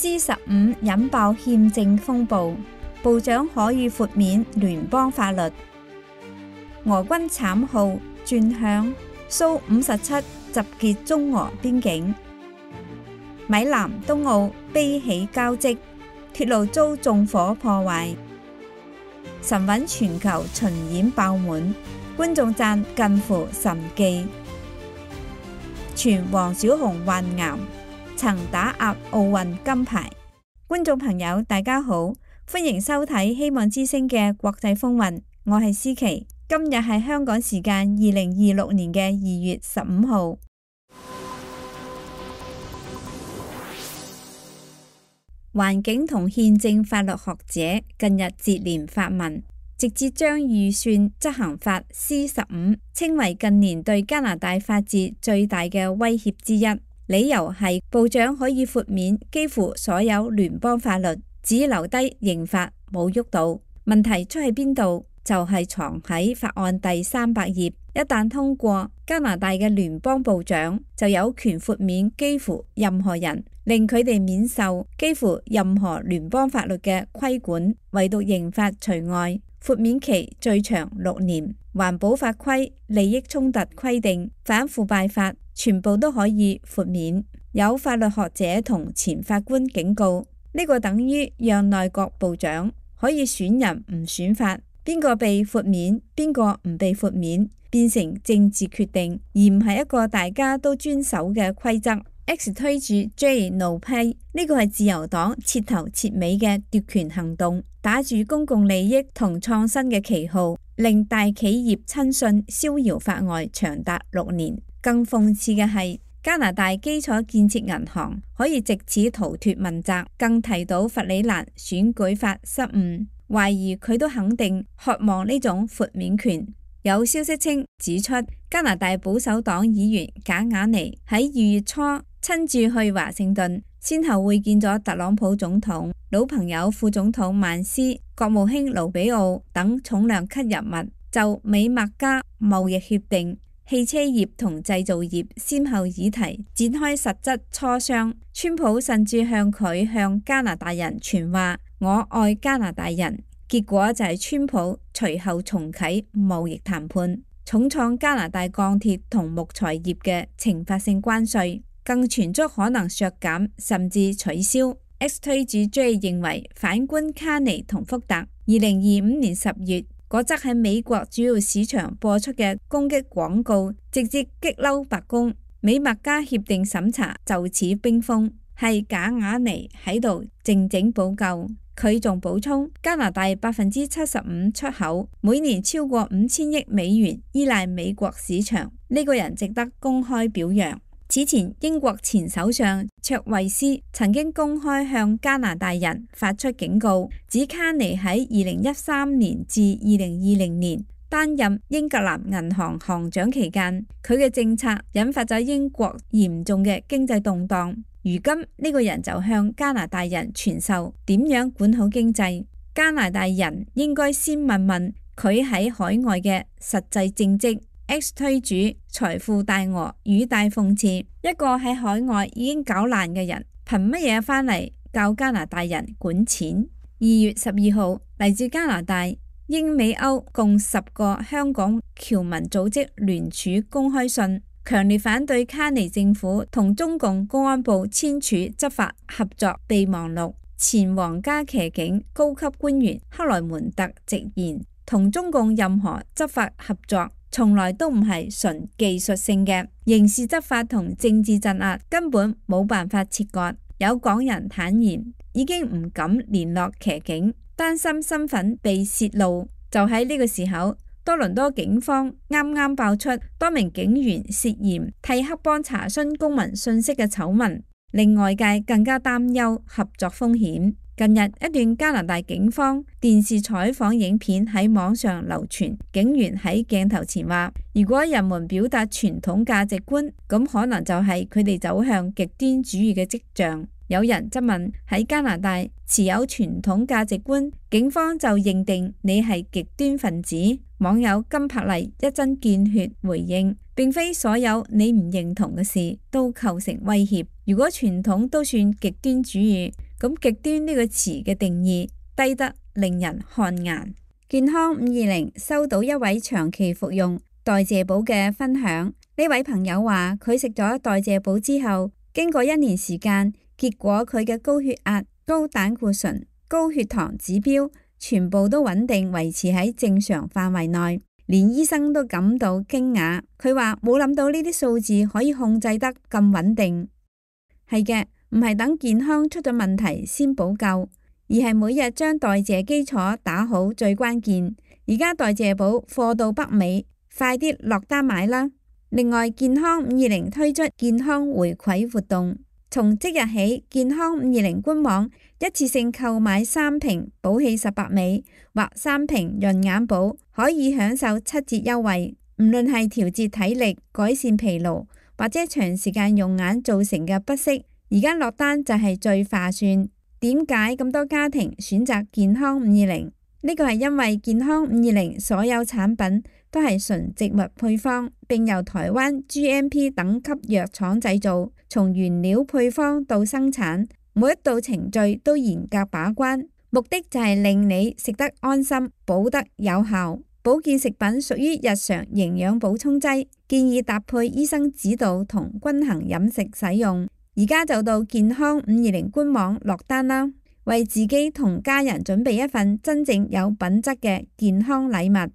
C15引爆憲政風暴，部長可以豁免聯邦法律。俄軍慘號轉響，蘇57集結中俄邊境。米蘭東奧悲喜交織，鐵路遭縱火破壞。神韻全球巡演爆滿，觀眾讚近乎神蹟。傳黃小紅患癌，曾打壓奧運金牌。觀眾朋友大家好，歡迎收睇希望之聲嘅國際風雲，我係思琪。今日係香港時間2026年嘅2月15號。環境同憲政法律學者近日接連發文，直接將預算執行法 C15 稱為近年對加拿大法治最大嘅威脅之一。理由係部長可以豁免幾乎所有聯邦法律，只留低刑法冇喐到。問題出喺邊度？就係藏喺法案第300頁。一旦通過，加拿大嘅聯邦部長就有權豁免幾乎任何人，令佢哋免受幾乎任何聯邦法律嘅規管，唯獨刑法除外。豁免期最長6年。環保法規、利益衝突規定、反腐敗法全部都可以豁免。有法律學者同前法官警告，呢個等於讓內閣部長可以選人唔選法，邊個被豁免，邊個唔被豁免，變成政治決定，而唔係一個大家都遵守嘅規則。X 推住 J 怒批，呢個係自由黨徹頭徹尾嘅奪權行動，打住公共利益同創新嘅旗號，令大企業親信逍遙法外長達6年。更諷刺嘅係，加拿大基礎建設銀行可以藉此逃脫問責，更提到弗里蘭選舉法失誤，懷疑佢都肯定渴望呢種豁免權。有消息稱指出，加拿大保守黨議員賈雅尼喺2月初親自去華盛頓，先後會見咗特朗普總統、老朋友副總統曼斯、國務卿盧比奧等重量級人物，就美墨加貿易協定、汽車業同製造業先後議題展開實質磋商。川普甚至向加拿大人傳話：我愛加拿大人。結果就係川普隨後重啟貿易談判，重創加拿大鋼鐵同木材業嘅懲罰性關稅，更傳出可能削減甚至取消。X 推主 J 認為反觀卡尼同福特2025年10月嗰則喺美國主要市場播出嘅攻擊廣告，直接激嬲白宮，美墨加協定審查就此冰封，係賈雅尼喺度靜靜補救。佢仲補充，加拿大75%出口，每年超過5000億美元依賴美國市場，呢個人值得公開表揚。此前英國前首相卓慧思曾經公開向加拿大人發出警告，指卡尼喺2013年至2020年擔任英格蘭銀行行長期間，佢嘅政策引發咗英國嚴重嘅經濟動盪。如今呢個人就向加拿大人傳授點樣管好經濟。加拿大人應該先問問佢喺海外嘅實際政績。X 推主財富大鱷語帶諷刺，一個喺海外已經搞爛嘅人，憑乜嘢返嚟教加拿大人管錢？2月12號，嚟自加拿大、英美歐共10個香港僑民組織聯署公開信，強烈反對卡尼政府同中共公安部簽署執法合作備忘錄。前皇家騎警高級官員克萊門特直言，同中共任何執法合作從來都唔係純技術性嘅，刑事執法同政治鎮壓根本冇辦法切割。有港人坦言已經唔敢聯絡騎警，擔心身份被泄露。就喺呢個時候，多倫多警方啱啱爆出多名警員涉嫌替黑幫查詢公民信息嘅醜聞，令外界更加擔憂合作風險。近日一段加拿大警方電視採訪影片喺網上流傳，警員喺鏡頭前話：如果人們表達傳統價值觀，咁可能就係佢哋走向極端主義嘅跡象。有人質問，喺加拿大持有傳統價值觀，警方就認定你係極端分子。網友金柏麗一針見血回應，並非所有你唔認同嘅事都構成威脅。如果傳統都算極端主義，咁極端呢個詞嘅定義低得令人汗顏。健康520收到一位長期服用代謝寶嘅分享，呢位朋友話佢食咗代謝寶之後，經過1年時間，結果佢嘅高血壓、高膽固醇、高血糖指標全部都穩定維持喺正常範圍內，連醫生都感到驚訝。佢話冇諗到呢啲數字可以控制得咁穩定。係嘅，唔係等健康出咗問題先補救，而係每日將代謝基礎打好最關鍵。而家代謝寶貨到北美，快啲落單買啦！另外，健康520推出健康回饋活動，從即日起，健康520官網一次性購買3瓶寶氣18美或3瓶潤眼寶，可以享受7折優惠。唔論係調節體力、改善疲勞或者長時間用眼造成嘅不適，而家落單就係最划算。點解咁多家庭選擇健康520？呢個係因為健康520所有產品都係純植物配方，並由台灣 GMP 等級藥廠製造，從原料配方到生產，每一道程序都嚴格把關，目的就係令你食得安心，補得有效。保健食品屬於日常營養補充劑，建議搭配醫生指導同均衡飲食使用。而家就到健康520官網落單啦，為自己同家人準備一份真正有品質嘅健康禮物。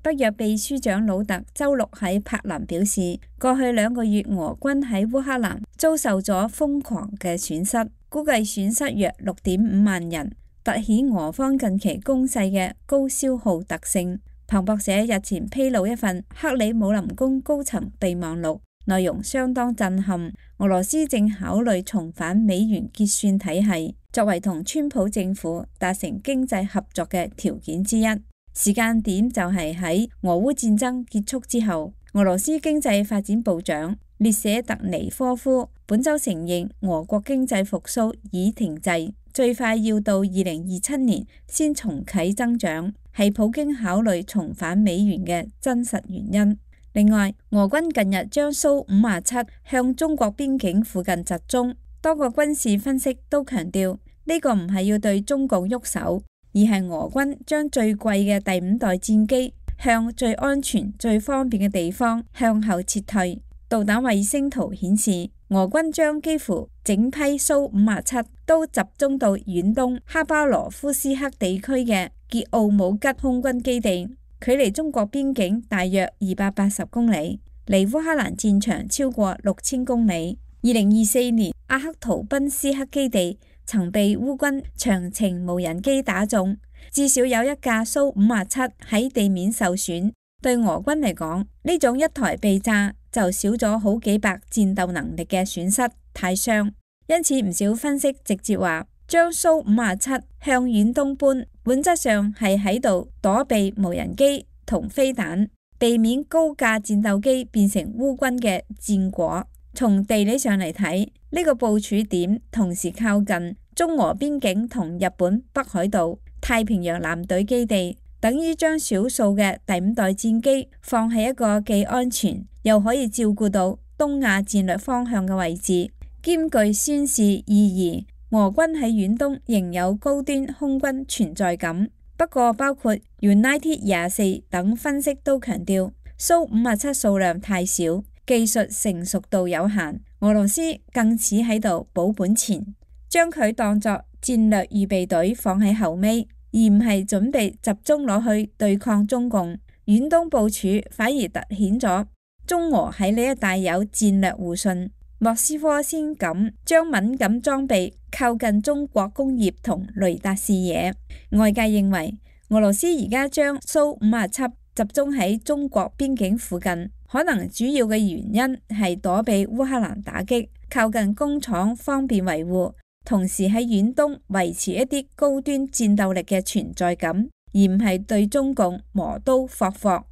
北約秘書長魯特週6喺柏林表示，過去2個月俄軍喺烏克蘭遭受咗瘋狂嘅損失，估計損失約6.5萬人，凸顯俄方近期攻勢嘅高消耗特性。彭博社日前披露一份克里姆林宮高層備忘錄，內容相當震撼。俄羅斯正考慮重返美元結算體系，作為同川普政府達成經濟合作嘅條件之一。時間點就係喺俄烏戰爭結束之後。俄羅斯經濟發展部長列舍特尼科夫本週承認，俄國經濟復甦已停滯，最快要到2027年先重啟增長，係普京考慮重返美元嘅真實原因。另外，俄軍近日將蘇57向中國邊境附近集中，多個軍事分析都強調呢個唔係要對中共喐手，而係俄軍將最貴嘅第5代戰機向最安全、最方便嘅地方向後撤退。導彈衛星圖顯示，俄軍將幾乎整批蘇57都集中到遠東哈巴羅夫斯克地區嘅傑奧姆吉空軍基地，距離中國邊境大約280公里，離烏克蘭戰場超過6000公里。2024年，阿克圖賓斯克基地曾被烏軍長程無人機打中，至少有一架蘇57喺地面受損。對俄軍嚟講，呢種一台被炸就少咗好幾百戰鬥能力嘅損失，太傷。因此唔少分析直接話，將蘇57向遠東搬，本質上係喺度躲避無人機同飛彈，避免高價戰鬥機變成烏軍嘅戰果。從地理上嚟睇，呢個部署點同時靠近中俄邊境同日本北海道、太平洋艦隊基地，等於將少數嘅第5代戰機放喺一個既安全又可以照顧到東亞戰略方向嘅位置，兼具宣示意義。俄軍喺遠東仍有高端空軍存在感。不過，包括 United 24等分析都強調，蘇57數量太少，技術成熟度有限，俄羅斯更似喺度補本錢，將佢當作戰略預備隊放喺後尾，而唔係準備集中攞去對抗中共。遠東部署反而凸顯咗中俄喺呢一帶有戰略互信。莫斯科先敢將敏感裝備靠近中國工業同雷達視野。外界認為俄羅斯而家將蘇57集中喺中國邊境附近，可能主要嘅原因係躲避烏克蘭打擊，靠近工廠方便維護，同時喺遠東維持一啲高端戰鬥力嘅存在感，而唔係對中共磨刀霍霍。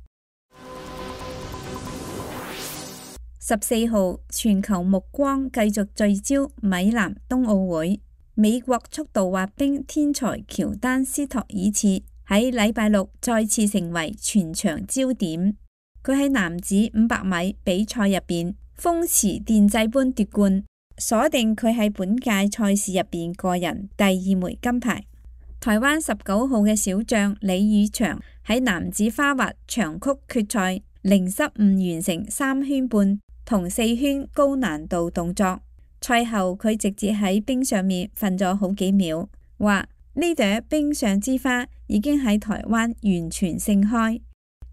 14號，全球目光繼續聚焦米蘭冬奧會，美國速度滑冰天才喬丹斯托爾茨喺禮拜六再次成為全場焦點。佢喺男子500米比賽入邊風馳電掣般奪冠，鎖定佢喺本屆賽事入邊個人第2枚金牌。台灣19號嘅小將李宇翔喺男子花滑長曲決賽零失誤完成3圈半同4圈高難度動作。賽後佢直接喺冰上面瞓咗好幾秒，話呢朵冰上之花已經喺台灣完全盛開。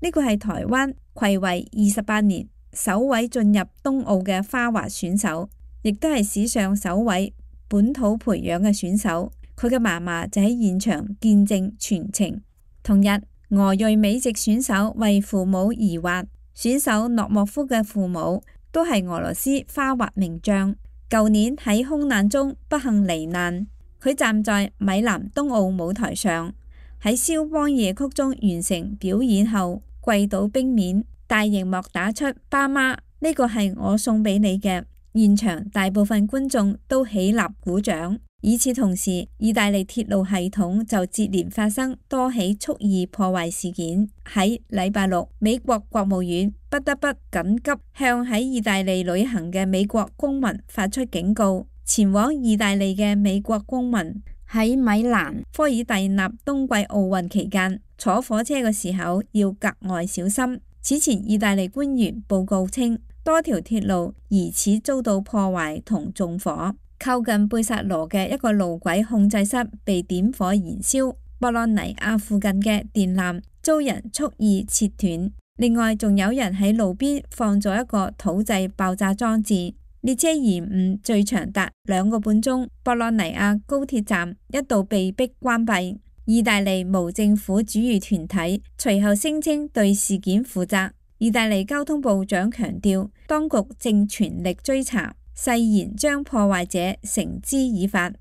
呢個係台灣睽違28年首位進入東奧嘅花滑選手，亦都係史上首位本土培養嘅選手。佢嘅嫲嫲就喺現場見證全程。同日，俄裔美籍選手為父母而滑，選手諾莫夫嘅父母都係俄羅斯花滑名將。舊年喺空難中不幸罹難，佢站在米蘭東奧舞台上，喺肖邦夜曲中完成表演後跪倒冰面，大熒幕打出爸媽，呢個係我送俾你嘅。現場大部分觀眾都起立鼓掌。與此同時，意大利鐵路系統就接連發生多起蓄意破壞事件。喺禮拜六，美國國務院不得不緊急向喺意大利旅行嘅美國公民發出警告，前往意大利嘅美國公民喺米蘭科爾蒂納冬季奧運期間坐火車嘅時候要格外小心。此前，意大利官員報告稱，多條鐵路疑似遭到破壞同縱火。靠近貝薩羅嘅一個路軌控制室被點火燃燒，博洛尼亞附近嘅電纜遭人蓄意切斷。另外，仲有人喺路邊放咗一個土製爆炸裝置。列車延誤最長達2個半鐘，博洛尼亞高鐵站一度被迫關閉。意大利無政府主義團體隨後聲稱對事件負責。意大利交通部長強調，當局正全力追查，誓言將破壞者繩之以法。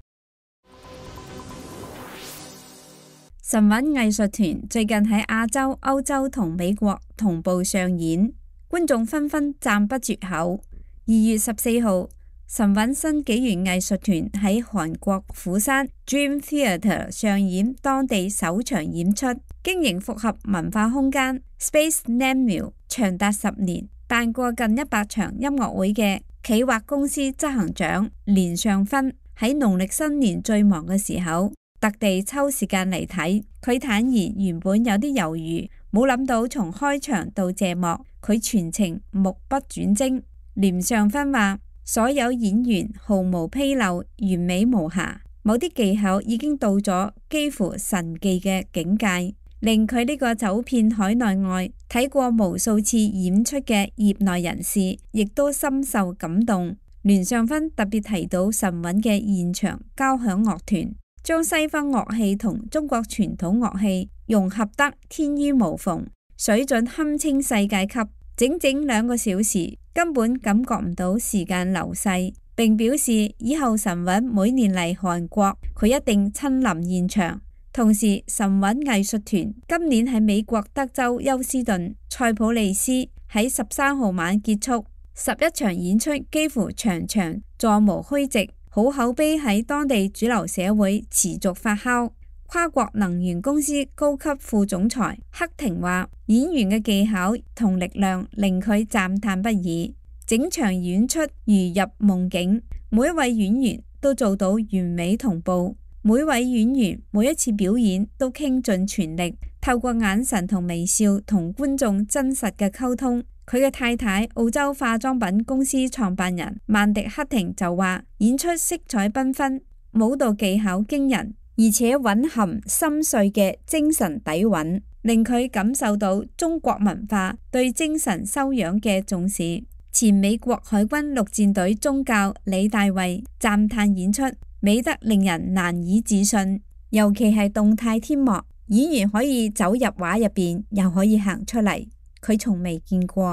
神韻藝術團最近喺亞洲、歐洲同美國同步上演，觀眾紛紛讚不絕口。2月14號，神韻新紀元藝術團喺韓國釜山 Dream Theatre 上演當地首場演出，經營複合文化空間 Space Namio 長達10年，辦過近100場音樂會嘅企劃公司執行長連尚勳喺農曆新年最忙嘅時候，特地抽時間嚟睇。佢坦言原本有啲猶豫，冇諗到從開場到謝幕，佢全程目不轉睛。連尚勳話：所有演員毫無紕漏，完美無瑕，某啲技巧已經到咗幾乎神技嘅境界，令佢呢個走遍海內外睇過無數次演出嘅業內人士，亦都深受感動。連尚勳特別提到神韻嘅現場交響樂團，將西方樂器同中國傳統樂器融合得天衣無縫，水準堪稱世界級。整整2個小時，根本感覺唔到時間流逝。並表示以後神韻每年嚟韓國，佢一定親臨現場。同時，神韻藝術團今年喺美國德州休斯頓塞普利斯喺13號晚結束11場演出，幾乎場場座無虛席，好口碑喺當地主流社會持續發酵。跨國能源公司高級副總裁克廷話：演員嘅技巧同力量令佢讚嘆不已，整場演出如入夢境，每一位演員都做到完美同步，每位演員每一次表演都傾盡全力，透過眼神同微笑同觀眾真實嘅溝通。佢嘅太太澳洲化妝品公司創辦人曼迪克廷就話：演出色彩繽紛，舞蹈技巧驚人，而且蘊含深邃嘅精神底蘊，令佢感受到中國文化對精神修養嘅重視。前美國海軍陸戰隊中校李大衛讚嘆演出美得令人難以置信，尤其係動態天幕，演員可以走入畫入邊，又可以行出嚟，佢從未見過。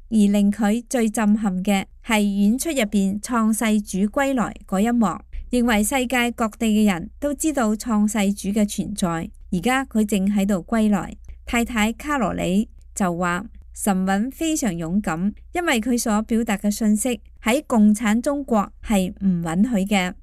而令佢最震撼嘅係演出入邊創世主歸來嗰一幕。認為世界各地嘅人都知道創世主嘅存在，而家佢正喺度歸來。太太卡羅里就話：神韻非常勇敢，因為佢所表達嘅信息喺共產中國係唔允許嘅。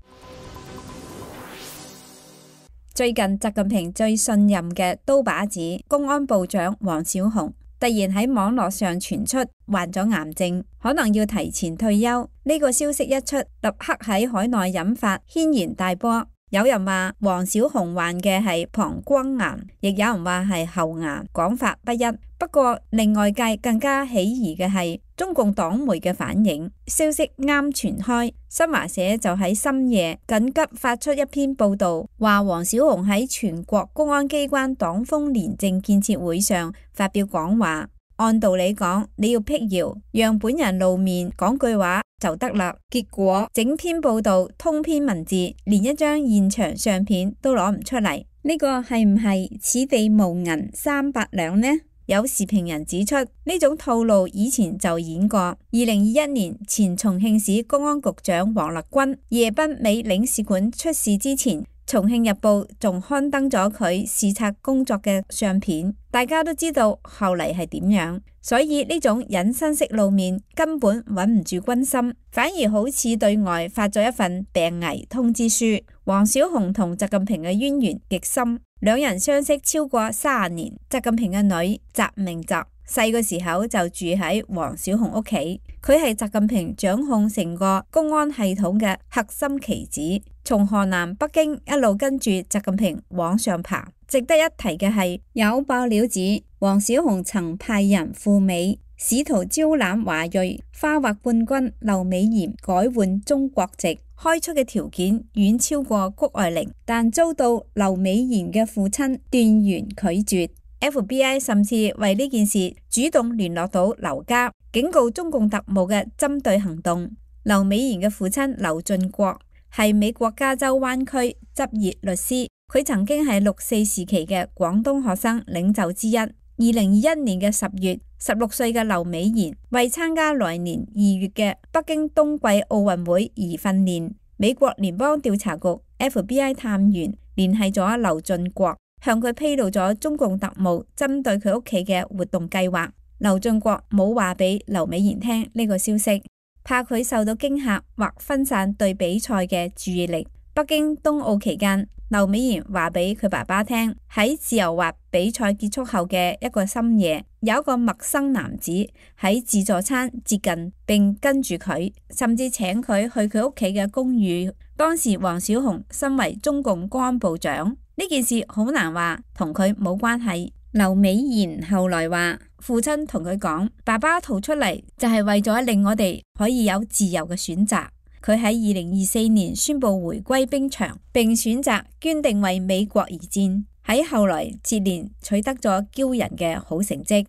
最近習近平最信任嘅刀把子公安部長王小洪突然喺網絡上傳出患咗癌症，可能要提前退休。呢個消息一出，立刻喺海內引發軒然大波。有人話黃小紅患嘅係膀胱癌，亦有人話係喉癌，講法不一。不過令外界更加起疑嘅係中共黨媒嘅反應。消息啱傳開，新華社就喺深夜緊急發出一篇報道，話黃小紅喺全國公安機關黨風廉政建設會上發表講話。按道理講，你要闢謠，讓本人露面講句話就得啦。結果整篇報道通篇文字，連一張現場相片都攞唔出嚟。呢個係唔係此地無銀300兩呢？有時評人指出，呢種套路以前就演過。2021年前重慶市公安局長王立軍夜奔美領事館出事之前，重慶日報仲刊登咗佢視察工作嘅相片，大家都知道後嚟係點樣。所以呢種隱身式露面根本穩唔住軍心，反而好似對外發咗一份病危通知書。黃小紅同習近平嘅淵源極深，兩人相識超過30年。習近平嘅女習明澤細個時候就住喺黃小紅屋企，佢係習近平掌控成個公安系統嘅核心棋子，從河南北京一路跟住習近平往上爬。值得一提嘅係，有爆料指黃小紅曾派人赴美，試圖招攬華裔花滑冠軍劉美妍改換中國籍，開出嘅條件遠超過谷愛凌，但遭到劉美妍嘅父親斷然拒絕。FBI 甚至為呢件事主動聯絡到劉家，警告中共特務嘅針對行動。劉美妍嘅父親劉俊國係美國加州灣區執業律師，佢曾經係6.4時期嘅廣東學生領袖之一。2021年嘅10月，16歲嘅劉美妍為參加來年2月嘅北京冬季奧運會而訓練。美國聯邦調查局 FBI 探員聯繫咗劉俊國，向佢披露咗中共特務針對佢屋企嘅活動計劃。劉俊國冇話俾劉美妍聽呢個消息，怕佢受到驚嚇或分散對比賽嘅注意力。北京冬奧期間，劉美妍話俾佢爸爸聽，喺自由滑比賽結束後嘅一個深夜，有一個陌生男子喺自助餐接近並跟住佢，甚至請佢去佢屋企嘅公寓。當時黃小紅身為中共公安部長，呢件事好難話同佢冇關係。劉美妍後來話，父親同佢講，爸爸逃出嚟就係為咗令我哋可以有自由嘅選擇。佢喺2024年宣布回歸兵場，並選擇捐定為美國而戰。喺後來接連取得咗驕人嘅好成績。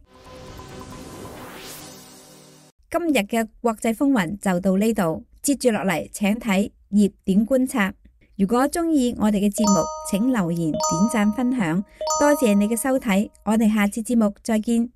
今日嘅國際風雲就到呢度，接住落嚟請睇熱點觀察。如果鍾意我哋嘅節目，請留言、點讚、分享。多謝你嘅收睇，我哋下次節目再見。